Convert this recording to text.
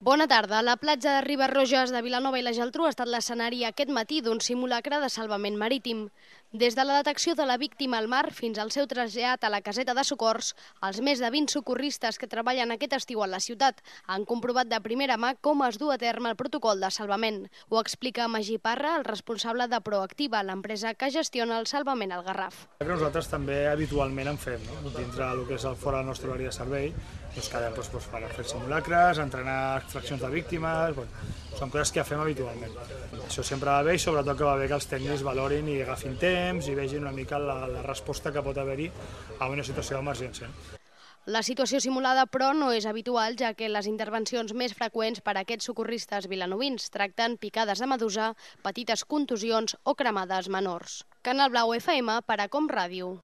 Bona tarda. La platja de Riba-roges de Vilanova i la Geltrú ha estat l'escenari aquest matí d'un simulacre de salvament marítim. Des de la detecció de la víctima al mar fins al seu trasllat a la caseta de socors, els més de 20 socorristes que treballen aquest estiu a la ciutat han comprovat de primera mà com es du a terme el protocol de salvament. Ho explica Magí Parra, el responsable de Proactiva, l'empresa que gestiona el salvament al Garraf. Nosaltres també habitualment en fem, dintre del que és fora del nostre horari de servei, quedem per fer simulacres, entrenar extraccions de víctimes, són coses que fem habitualment. Això sempre va bé i sobretot que va bé que els tècnics valorin i agafin temps i vegin una mica la resposta que pot haver-hi a una situació d'emergència. La situació simulada, però, no és habitual, ja que les intervencions més freqüents per a aquests socorristes vilanovins tracten picades de medusa, petites contusions o cremades menors. Canal Blau FM per a Com Ràdio.